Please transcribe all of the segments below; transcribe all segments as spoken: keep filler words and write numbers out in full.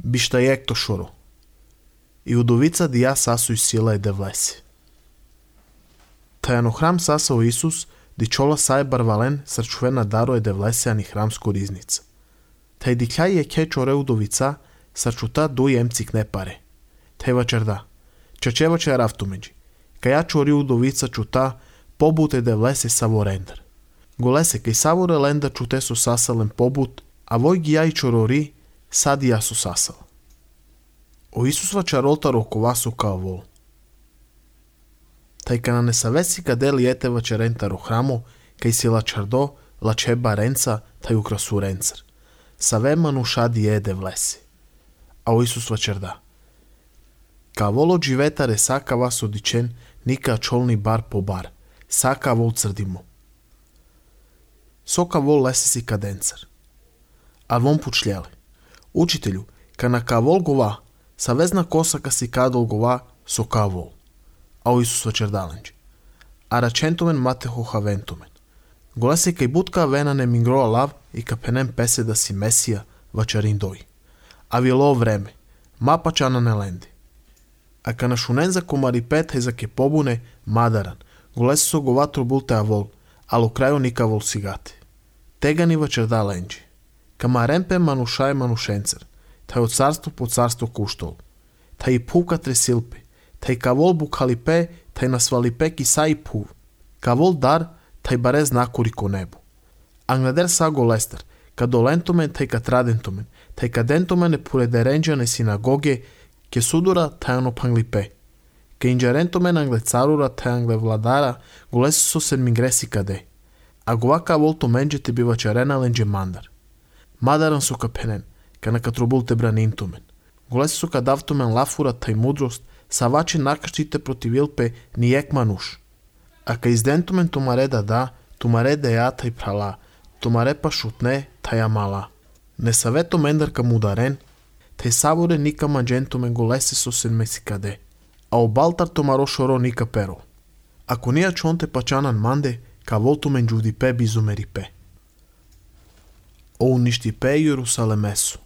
Бишта ек шоро. И удовица дија сасу и сила е девлеси. Тајано храм сасао Исус, дичола сај барвален срчувена даро е девлеси ани храмско ризница. Тај дикјај е ке чоре удовица, срчута дуј емцик не паре. Тај вачерда. Чачева че рафтумеджи. Каја чори удовица чута, побут е девлеси саво рендер. Голесе кај саво релендер чуте со сасален побут, а вој ги ја и чорори, сади ја со сасал. О Исус вачаролта роковасу као вол. Тај кана не савеси каде ли ете вачерента ро храмо, кај си лачардо, лачеба ренца, тај украсу ренцер. Саве манушади е девлеси. А о Исус вачерда. Ка воло живета ре сака вас одичен, ника чолни бар по бар. Сака вол црдимо. Сока вол лесе си каденцер. А вон пучляле. Учителю, кана ка вол гова, савезна косака си кадол гова, со ка вол. А о Исус вачердаленджи. А рачентумен мате хохавентумен. Голесе кај бутка вена не мингроа лав и капенен песе да си месија, вачарин дој. А вило време, мапа чана не ленди. А кана шунен за комари пет е за ке побуне, мадаран, голесе со гова трубулте авол, ало крајо ника вол сигате. Тега ни вачерда ленджи. Кама ремпе мануша е манушенцер, тај од царство по царство куштол. Тај пука тресилпе, тај кавол букалипе, тај насвалипе ки са и пув. Кавол дар, тај баре знакури ко небо. Англадер са голестер, кадолентумен тај катрадентумен, тај кадентумен е поредеренджа не синагоге, ке судура тај ано панглипе. Ке инджарентумен англе царура тај англе владара, голеси со седмигреси каде. А гова кавол тумендже те бива чарена лендже мандар. Мадаран со капенен, кана катрубулте бранинтумен. Голеси со кадавтумен лафура тај мудрост, савачи накаштите противилпе ни ек мануш. А ка издентумен тумаре да да, тумаре да ја тај прала, тумаре па шутне тај амала. Не савето мендар кам ударен, тај саворе ника манджентумен голеси со седмеси каде, а обалтар тумаро шоро ника перо. Ако нија чонте пачанан манде, ка волтумен джудипе бизумерипе. О уништипе Јерусалемесу.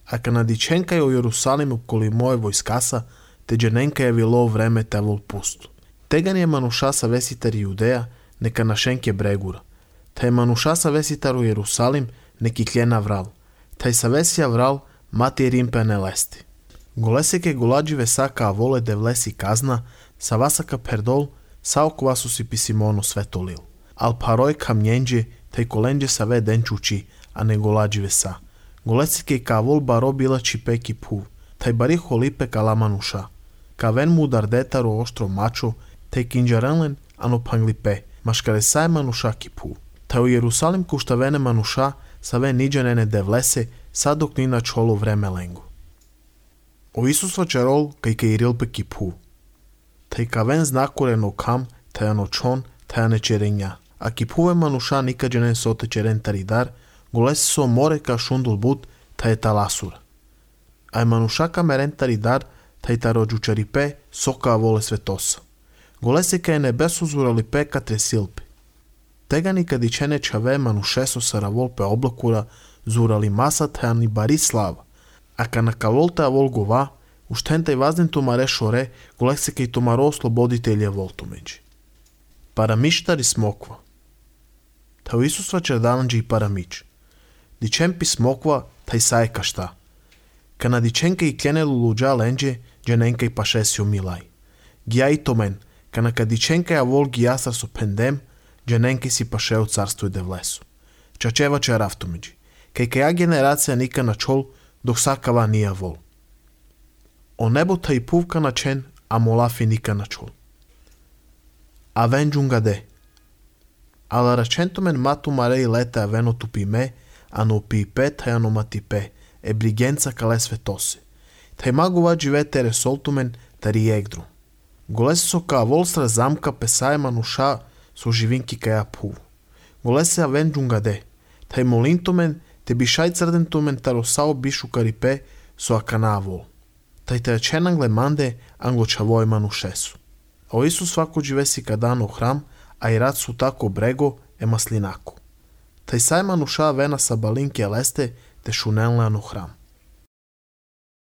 А кана диченка о Јерусалим околи моје војскаса, те джененка е вило време те вол пусто. Тега ни е мануша са веситар Јудеја, нека нашенке брегура. Тај мануша са веситар о Јерусалим, неки клена врал. Тај са весија врал, мати римпе не лести. Голесеке голадживе сака аволе девлеси казна, са васака пердол, са оквасу си писимоно светолил. Ал парој камњенџе, тај коленџе са ве ден чучи, а не голадживе са. Голесеке кавол баро била чипеки пув, тај бари холипе кала мануша. Кавен му дардетаро оштро мачо, тај кинџаренлен, ано панглипе, машкаре са е мануша ки пув. Тај о Јерусалим куштавене мануша, са ве ниџанене девлесе, са док ни на чоло време ленго. О Исус вачарол кај кај рилпе ки пув. Тај кавен знакурен окам, тај ано чон, тај ане черења. А ки пуве мануша никаđенен соте черен таридар, голеси со море ка шундул бут, тај таласура. Ај мануша камерен таридар, тај тароđучарипе, сока воле светоса. Голеси кај небесу зуралипе ка тресилпе. Тега никадичене чаве манушесо сараволпе облакура, зурали маса тај ни бари слава. А ка на каволте авол гова, уштен тај вазден тумаре шоре, голеси кај тумаро ослободителја волтумеđи. Парамиштар и смоква. Тај Исус вачердананџи и парамич. Дичен пи смоква, тај саe кашта. Кана диченка и клене лулуджа ленџе, джененка и пашесио милај. Гија и томен, кана ка диченка ја вол гијасар со пендем, джененка си пашео царство и девлесу. Чачева че рафтумеđи. Кај каја генерација ника на чол, док сакава нија вол. О небо тај пувка на чен, а молафи ника на чол. А вен джунгаде. Ала рачентумен мату маре и лете авено тупиме, ано пипе тај ано матипе, е бригенца кале светосе. Тај магува живете ресолтумен тари егдру. Голесе со ка вол сра замка песае мануша со живинки каја пув. Голесе авен джунгаде. Тај молинтумен те бишај црдентумен таросао бишу карипе со акана вол. Тај тај чен англе манде англо чавој манушесу. А о Исус свако живеси кадано храм, а и рад су тако брего е маслинако. Тај сај мануша вена са балинки елесте те шуненле ано храм.